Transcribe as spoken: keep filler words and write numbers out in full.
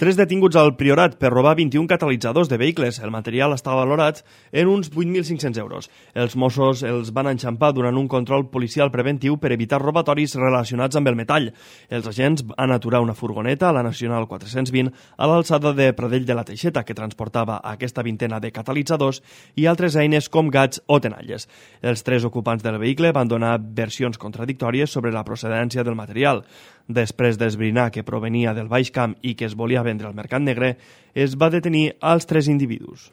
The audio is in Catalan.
Tres detinguts al Priorat per robar vint-i-un catalitzadors de vehicles. El material està valorat en uns vuit mil cinc-cents euros. Els Mossos els van enxampar durant un control policial preventiu per evitar robatoris relacionats amb el metall. Els agents van aturar una furgoneta a la Nacional quatre-cents vint a l'alçada de Pradell de la Teixeta que transportava aquesta vintena de catalitzadors i altres eines com gats o tenalles. Els tres ocupants del vehicle van donar versions contradictòries sobre la procedència del material. Després d'esbrinar que provenia del Baix Camp i que es volia vendre al mercat negre, es va detenir als tres individus.